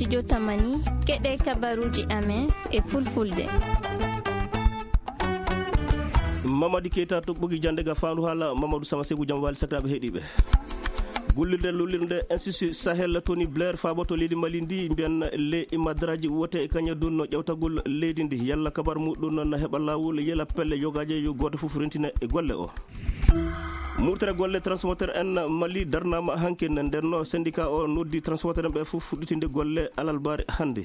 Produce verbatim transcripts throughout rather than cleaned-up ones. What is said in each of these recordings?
Jotamani, keɗe kabaruuji amen e fulfulde. Mamadi Keita to ɓogi jannde ga faandu haala Mamadou Sama Seku jam wali sakiraaɓe heɗiiɓe. Gullirde lullirde Institut Sahel Tony Blair faaboto leydi Mali ndi mbiyan le imadraji wote e kañe dunno ƴewtagol leydi ndi yalla kabar muɗum na heɓa laawol yela pelle yogaaje yo gooto fof rentina e golle o. Murtere golle transporteur en Mali darnama hankin ndenno syndicat o noddi transporteur en ɓe fof fuɗɗitinde golle alalbare hannde.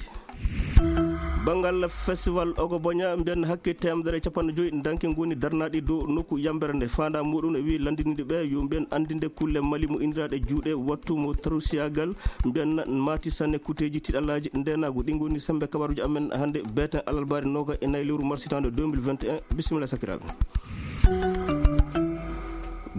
Banngal festival Ogo Boña mbiyan hakke temedere e capanɗe joyi danke ngoni darnaɗi dow nokku yambere nde fanda muɗum e wi landininde ɓe yo mbiyan andinde kulle Mali mo indiraɗe juuɗe wattu mo tarusiyagal mbiyan mati sanne kuteji tiɗalaji ndenagu ɗi ngoni sembe kabaruji amen hannde beten alalbare noga e nayi lewru mars hitande deux mille vingt et un. Bisimilla sakiraɓe.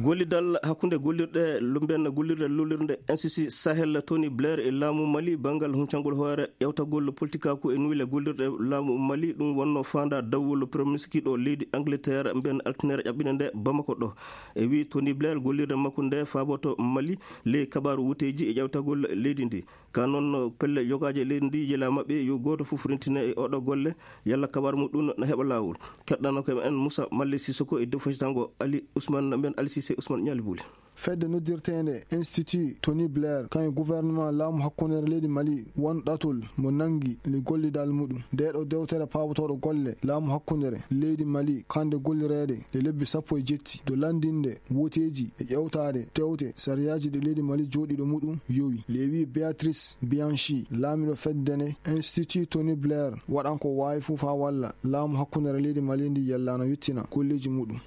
Gollidal hakkunde gollirɗe lumben gollirde lullirde N C C Sahel Tony Blair e laamu Mali banngal huncangol hoore ƴewtagol politikaaku e nuyle gollirɗe laamu Mali ɗum wonno faanda dawwol premier ministre kiɗo leydi Angleterre mbiyan altinere ƴaɓɓine nde Bamako ɗo. E wi Tony Blair gollirde makko nde faaboto Mali ley kabaaru wuteeji e ƴewtagol leydi ndi. Ka noon pelle yogaaji e leydi ndi yela maɓɓe yo gooto fof rentina e oɗo golle yalla kabar muɗum na heɓa laawol. Keɗɗano ko en Moussa Malle Sissoko e defositango Ali Ousmane mbiyan Ali Sissé Ousmane Ñaali Buli. Fedde noddirteende Institut Tony Blair kan e gouvernement laamu hakkundeere leydi Mali won ɗatol mo nangi le gollidal muɗum nde ɗo dewtere paabotooɗo golle laamu hakkundeere leydi Mali kande gollireede le lebbi sappo e jetti do landinde woteeji e ƴewtaade tewte sariyaaji ɗi leydi Mali jooɗiiɗo muɗum yowi. Lewi Beatrice Bianchi laamiɗo fedde nde Institut Tony Blair waɗan ko waawi fof haa walla laamu hakkundeere leydi Mali ndi yallano yettina golleeji muɗum.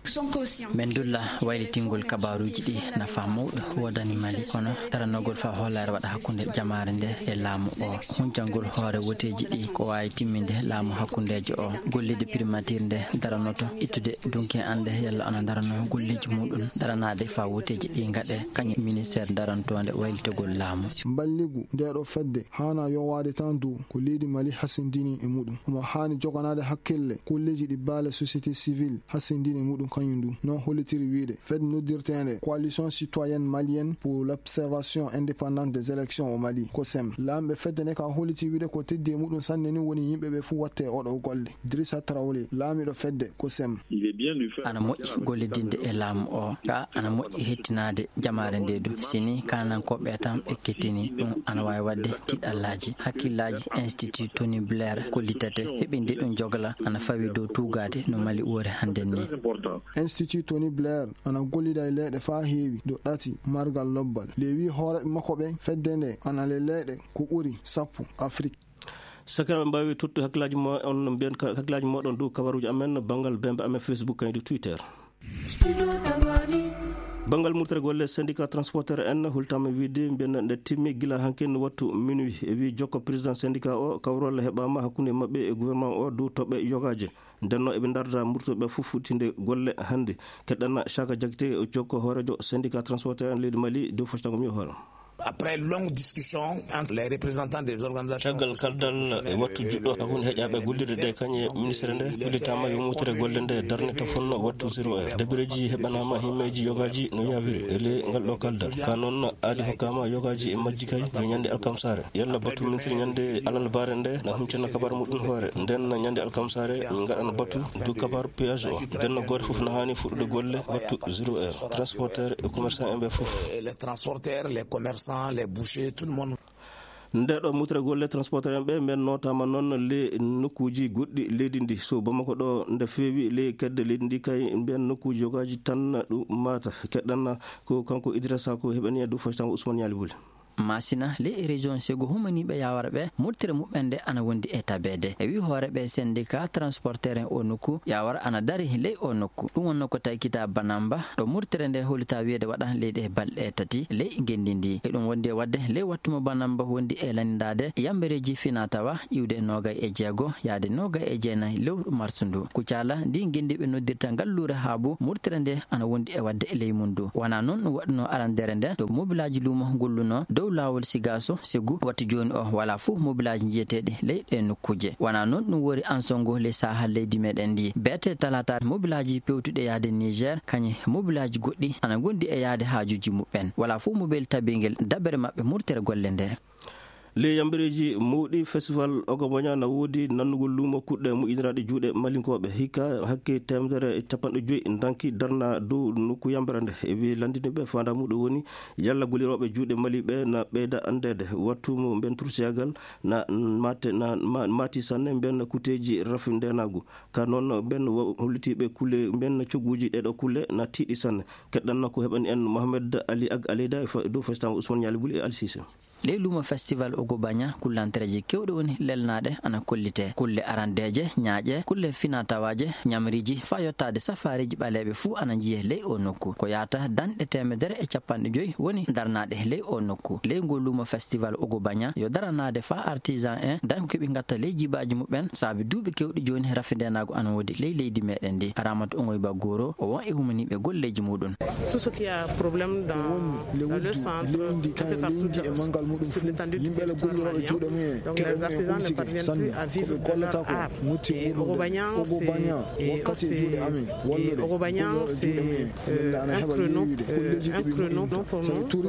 Min dulla waylitingol kabaruuji ɗi nafa mawɗo woodani Mali kono daranogol faa hoolaare waɗa hakkunde jamaare nde e laamu o huncangol hoore woteeji ɗi ko waawi timminde laamu hakkundeejo o. Gollide primatiir nde daranoto ittude dunke annde yalla ana darano golleeji muɗum daranaade faa woteeji ɗi ngaɗe kañum ministeer darantoonde waylitogol laamu. Mballigu nde ɗo fedde haana yowaade tan dow ko leydi Mali hasindini e muɗum omo haani joganaade hakkille golleeji ɗi baale société civile hasindini e muɗum kañum du noon hollitiri wiide fedde noddirteende coalition citoyenne malienne pour l'observation indépendante des élections au Mali ko sem laamɓe fedde nde ka holliti wiide ko teddi e muɗum sanne ni woni yimɓe ɓe fuu watte oɗo golle. Drissa Traoré laamiɗo fedde ko sem. Ana moƴƴi gollidinde e laamu o ka ana moƴƴi hettinaade jamaare nde du sini kanankooɓe tan ɓe kettini ɗum ana waawi waɗde tiɗallaaji hakkillaaji. Institut Tony Blair kollitete heɓinde ɗum jogla ana fawi dow tuugaade no Mali woori hannden ni. Institut Tony Blair ana gollida e leyɗe faa heewi dow ɗati margal lobbal le wi hooreɓe makko ɓe fedde nde ana le leyɗe ko ɓuri sappo Afrik. Sakiraaɓe mbaawi tottu hakkilaaji mo on mbiyan hakkilaaji moɗon dow kabaruuji amen banngal bembe amen Facebook kañum twitter. Banngal murtere golle syndicat transporteur en hultama wiide mbiyan nde timmi gila hankin wattu minuit e wi jokko président syndicat o kawrol heɓama hakkunde maɓɓe e gouvernement o dow toɓɓe yogaaje. Ndenno eɓe ndarda murtoɓe fof futtinde golle hannde. Keɗɗana Chaka Diakité jokko hoorejo syndicat transporteur en leydi Mali dow foctango mi hoore. Après longue discussion entre les représentants des organisations caggal kaldal e wattu juɗɗo hakkunde heƴaɓe gollirde ɗe kañe ministre nde hollitama yo mutire golle nde darnita fonno wattu zéro heure debireji heɓanama himmeji yogaji no yawiri e ley ngal ɗo kaldal ka noon aadi hokkama yogaji e majji kay no ñande alkamsare yalla batu ministre ñande alalbare nde na huncana kabar muɗum hoore nden na ñande alkamsare min gaɗana batu du kabar péage o nden na goto fof na hani fuɗɗude golle wattu zéro heure transporteur e commerçant en ɓe fof. Les transporteurs, les commerçants, les bouchers, tout le monde. Nde ɗo mutre golle transporteur en ɓe mbiyan notama noon le nokkuji goɗɗi leydi ndi so bamako ɗo nde feewi le kedde leydi ndi kay mbiyan nokkuji yogaji tan ɗum mata keɗɗanna ko kanko Idrissa ko heɓani e dow fasitango Ousmane Yali Boli. Masina ley région sego humaniɓe yawara ɓe murtire muɓɓen nde ana wondi e tabeede e wi hooreɓe syndicat transporteur en o nokku yawara ana dari ley o nokku ɗum wonno ko taykita banamba ɗo murtire nde holita wiyede waɗa ley ɗe balɗe tati ley ngenndi ndi e ɗum wondi e wadde ley wattu mo banamba wondi e lanndade yambereji fina tawa iwde nogay e jeego yaade nogay e jeenayi lewru marsu ndu kucala ndi ngenndi ɓe noddirta ngalluure haabu murtire nde ana wondi e wadde e ley mum ndu wona noon ɗum waɗuno arandere nde to mobilaji luumo golluno dow laawol sigaso segu wattu jooni o wala fof mobilaji njiyeteɗi ley ɗe nokkuje wona noon ɗum wori ansongo ley saha leydi meɗen ndi beete talata mobilaji pewtuɗe yaade niger kañe mobilaji goɗɗi ana gondi e yaade haajuji muɓɓen wala fof mobile tabingel dabere maɓɓe murtere golle nde. Ley yambereeji mawɗi, festival Ogoboña na woodi nannugol luumo kuɗɗe moƴƴindiraaɗe juuɗe malinkooɓe. Hikka hakke teemedere e capanɗe joyi ndanki darna dow nokku yambere nde. E wi lanndiniiɓe, faandaa muɗum woni yalla golirooɓe juuɗe mali ɓe na ɓeyda anndeede. Wattu mo mben tursiyagal na mate-, na ma-, maati sanne mben kuteeji rafi ndeenaagu. Ka noon mben wo-, hollitiiɓe kulle mben cogguuji ɗeɗo kulle na tiiɗi sanne. Keɗɗan ko heɓani en Mohamed Ali Ag Aleyda e fa-, dow festival Ousmane Ñaali Buli e Ali Sise. Ley luumo festival Ogobaña, kullantereeji keewɗe woni lelnaaɗe ana kollitee. Kulle arandeeje, ñaaƴe, kulle finatawaaje, ñamriiji, faa yottaade safaariiji ɓaleeɓe fuu ana njiyee ley oo nokku. Ko yaata danɗe teemedere e capanɗe joyi woni darnaaɗe ley oo nokku. Ley ngoo luumo festival Ogobaña yo daranaade faa artisan en dañ ko keɓi ngatta ley jibaaji muɓɓen, saabi duuɓi keewɗi jooni rafi ndeenaagu ana woodi ley leydi meɗen ndi. Ramatu Ongoyba Goro, o won e humaniiɓe golleeji muɗum. Tout ce qui a problème dans, dans le centre, un peu partout sur l'étendue du territoire malien. Donc les artisans ne parviennent plus à vivre de leur art. Et Ogobaña, c'est, et on, c'est, et Ogobaña, c'est, euh, un créneau, euh, un créneau pour nous, pour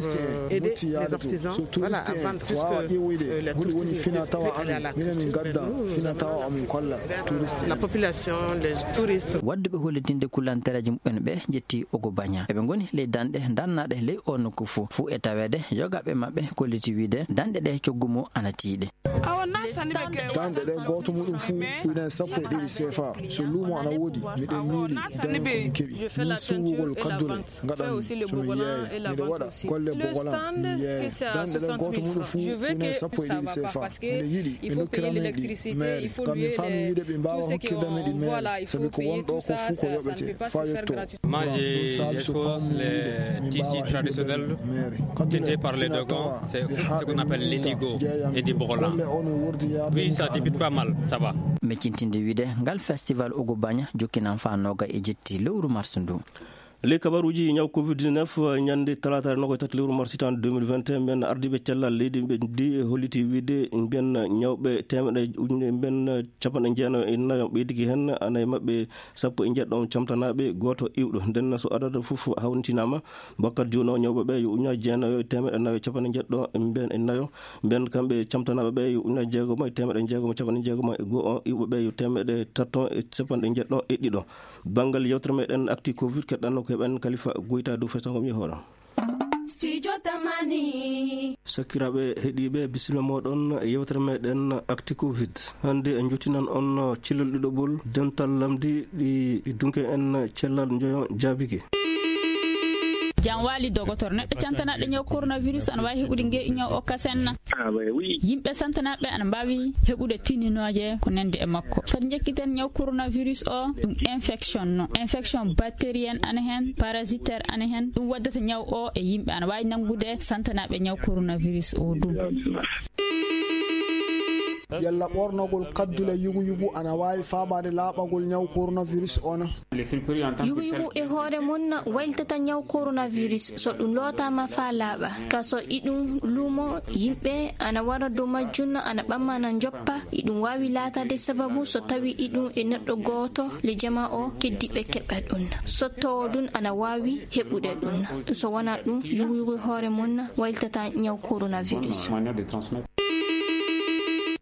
aider les artisans, voilà, à vendre, puisque, euh, les touristes ne peuvent plus aller à la culture, mais nous, nous avons la culture, la population, les touristes. Waɗduɓe hollitinde kullantereeji muɓɓen ɓe njetti Ogobaña. Eɓe ngoni ley danɗe darnaaɗe ley oo nokku fuu. Fuu e taweede, yogaaɓe maɓɓe kolliti wiide danɗe ɗe coggu mum ana tiiɗi. Danɗe ɗe gooto muɗum fuu ujunere sappo e ɗiɗi sefa. So luumo ana woodi, miɗen miili dañ ko mi keɓi. Min suuɓugol kaddule ngaɗan so mi yeeya. Miɗo waɗa golle bogolan, mi yeeya. Danɗe ɗen gooto muɗum fuu ujunere sappo e ɗiɗi sefa. Miɗo yiɗi ɓe ndokkira min ɗi meere. Ngam mi faami wiide ɓe mbaawa hokkirde men ɗi meere. Sabi ko won ɗo ko fuu ko yoɓete faa yetto. Moi, je, j'expose les tissus traditionnels tintés par les Dogons, c'est ce qu'on appelle l'indigo et du bogolan. Oui, ça débute pas mal, ça va. Meccintinde wiide, ngal festival Ogobaña jokkinan faa nooga e jetti lewru mars ndu. Ley kabaruuji ñaw covid dix-neuf, ñande talaata nogas e tati lewru mars hitaande deux mille vingt et un, mben ardiiɓe cellal leydi ɓe ndi holliti wiide mben ñawɓe teemeɗe ujunere mben capanɗe jeenayo e nayo ɓeydiki heen, ana e maɓɓe sappo e njeɗɗo camtanaaɓe, gooto iwɗo. Nden so adadu fof hawritinaama, wakkati jooni o ñawɓe ɓe yo ujunaaji jeenayo e teemeɗe nayo e capanɗe njeɗɗo e mben e nayo. Mben kamɓe camtanaaɓe ɓe yo ujunaaji jeegomo e teemeɗe jeegomo e capanɗe jeegomo e go'o, iwɓe ɓe yo teemeɗe tato e capanɗe njeɗɗo e ɗiɗo. Banngal yewtere meɗen Actu Covid, keɗɗanno ko heɓen Kalifa Goyta dow faytangol mi hoore. Studio Tamani. Sakiraaɓe heɗiiɓe, bisimilla mooɗon e yewtere meɗen Actu Covid. Hannde en njottinan on cellal ɗiɗaɓol dental lamndi ɗi, ɗi dunke en cellal njoyo jaabike. Jam waali dogotor. Neɗɗo cantanaɗo ñaw coronavirus ana waawi heɓude nge ñaw o kasen na? Ah, ouais, oui. Yimɓe santanaɓe ana mbaawi heɓude tininooje ko nandi e makko. Fati njekkiten ñaw coronavirus o, ɗum infection no. Infection bactérienne ana hen, parasitaire ana hen. Ɗum waddata ñaw o e yimɓe ana waawi nangude santanaɓe ñaw coronavirus o ɗum. Yalla ɓornogol kaddule yugu yugu ana waawi faabaade laaɓagol ñaw coronavirus o na? Yugu yugu e hoore mum na waylitata ñaw coronavirus so ɗum lootaama faa laaɓa. Ka so iɗum luumo yimɓe ana wara dow majjum na ana ɓamma na njoppa, iɗum waawi laataade sababu so tawi iɗum e neɗɗo gooto le jama o keddiiɓe keɓa ɗum. Sottoowo ɗum ana waawi heɓude ɗum. So wonaa ɗum, yugu yugu e hoore mum na waylitata ñaw coronavirus.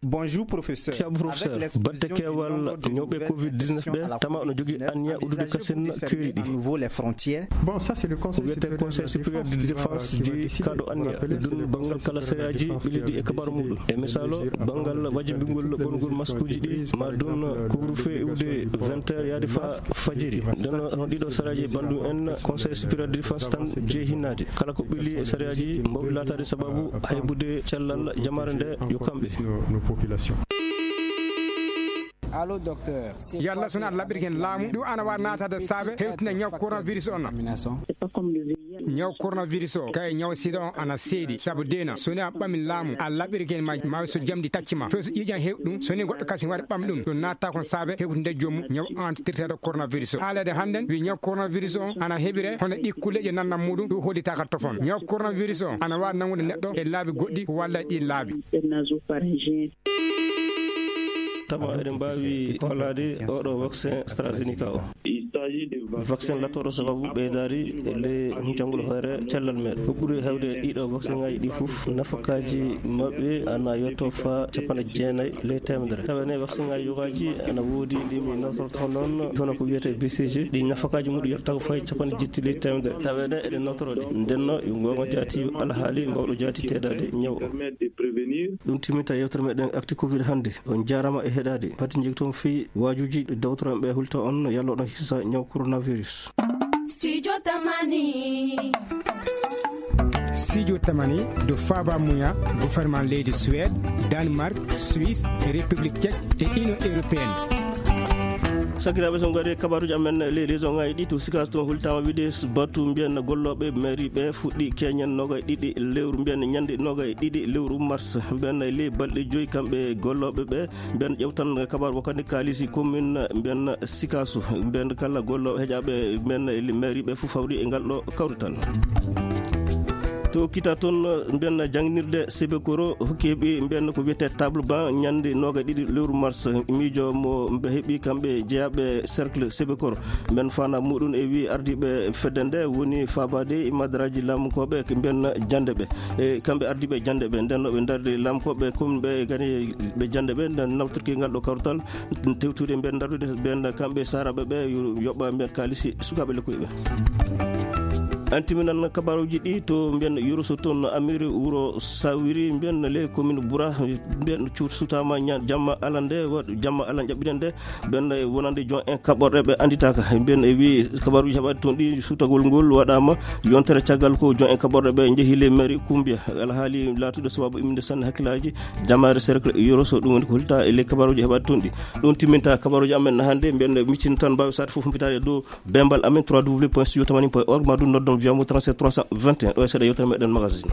Bonjour, professeur. Ceerno professeur, batte keewal ñawɓe covid dix-neuf ɓe, tama no jogii anniya uddude kasen keeri ɗi. Bon, ça, c'est le Conseil supérieur de la défense, jeyi kaɗo anniya. Ɗum banngal kala sariyaaji ɓilliiɗi e kabaru muɗum. E misaalo, banngal wajibingol ɓornugol maskuuji ɗi, ma ɗum couvre-feu iwde vingt heures yaade faa fajiri. Nden hono ɗiɗo sariyaaji banndum en, Conseil supérieur de défense tan jeyi hinnaade. Kala ko ɓilli e sariyaaji mbaawi laataade sababu haybude cellal jamaare nde yo kamɓe. Yalla so wonaa laɓɓirgol laamu, ɗum ana waawi naataade saabe hewtinde ñaw coronavirus on. Ñaw coronavirus o, kay ñaw sida on ana seedi, sabu deena, so wonaa ɓamin laamu, a laɓɓirgol ma, ma so jamdi tacci ma. Fof so ƴiiƴan heew ɗum, so wonii goɗɗo kasin wari ɓam ɗum, ɗum naata kon saabe hewtinde joomum ñaw antitirteeɗo coronavirus o. Haalede hannden, wi ñaw coronavirus o ana heɓire hono ɗi kulleeje nannan muɗum, ɗum hollitaaka tofon. Ñaw coronavirus o ana waawi nangude neɗɗo e laabi goɗɗi ko walla ɗi laabi. Tama eɗen mbaawi hollaade oɗo vaccin AstraZeneca o. Vaccin lattooɗo sababu ɓeydaari e ley jangol hoore cellal meeɗen. Ko ɓuri heewde e ɗiɗo vaccin ŋaaji ɗi fof, nafakaaji maɓɓe ana yotto fa capanɗe jeenayi ley teemedere. Tawa ne vaccin ŋaaji yogaaji ana woodi ɗi mi nawtorto noon, kono ko wiyetee B C G, ɗi nafakaaji muɗum yottata ko fayi capanɗe jetti ley teemedere. Tawa ne eɗen nawtoro ɗi. Ndenno, yo goonga jaati, yo alhaali mbawɗo jaati teedaade ñaw o. Ɗum timminta yewtere meɗen Actu Covid hannde. On jaaraama e heɗaade. Pati jogitoon fii waajuuji ɗi dawtoranɓe hulta on yalla oɗon hisa ñaw coronavirus. Studio Tamani. Studio Tamani, ɗo faaba muya, gouvernement leydi Suède, Danemark, Suisse, République Tchèque e Union Européenne. Sakiraaɓe, so ngari kabaruuji amen ley région ŋaaji ɗi, to Sikaas toon hultaama wiide batu mbiyen gollooɓe mairie ɓe fuɗɗi keñen noogay ɗiɗi lewru, mbiyen ñande noogay ɗiɗi lewru mars, mbiyen ley balɗe joyi kamɓe gollooɓe ɓe. Mbiyen ƴewtan kabaru wakkati kaalisi commune mbiyen Sikaasu, mbiyen kala gollooɓe heƴaaɓe mbiyen mairie ɓe fof hawri e ngal ɗo kawrital. To Kita toon, mbiyen jannginirde Sebekoro hokki heɓi mbiyen ko wiyetee table banc ñande noogay ɗiɗi lewru mars, miijo mo mbe heɓi kamɓe jeyaaɓe cercle Sebekoro. Mbiyen faandaare muɗum e wii ardiiɓe fedde nde woni faabaade e madaraaji laamunkooɓe mbiyen jannde ɓe. E kamɓe ardiiɓe jannde ɓe, nden no ɓe ndardi laamunkooɓe commune ɓe gani ɓe jannde ɓe, nden nawtirki ngal ɗo kawrital, tewtude mbiyen ndardude mbiyen kamɓe saaraaɓe ɓe yo yoɓa mbiyen kaalisi sukaaɓe lekkoy ɓe. An timinan kabaruuji ɗi to mbiyen Yoroso toon Amiri wuro Sawiri mbiyen ley commune Bura mbiyen cuut sutaama ña-, jamma alande wa-, jamma alan ƴaɓɓiɗen nde mbiyen wonande jon en kaɓorɗe ɓe annditaaka. Mbiyen e wii kabaruuji heɓaade toon ɗi sutagol ngol waɗaama yontere caggal ko jon en kaɓorɗe ɓe njehi ley mairie Kumbiya. Alhaali laatude sababu imminde sanne hakkilaaji jamaare cercle Yoroso ɗum woni ko hulta e ley kabaruuji heɓaade toon ɗi. Ɗum timminta kabaruuji amen hannde mbiyen miccin tan mbaawi saate fof humpitaade e dow Bembal amen trois W point studio tamani point org, ma ɗum noddon via mo trente-sept trois cent vingt et un. Ɗo e seeɗa yewtere meɗen magazine.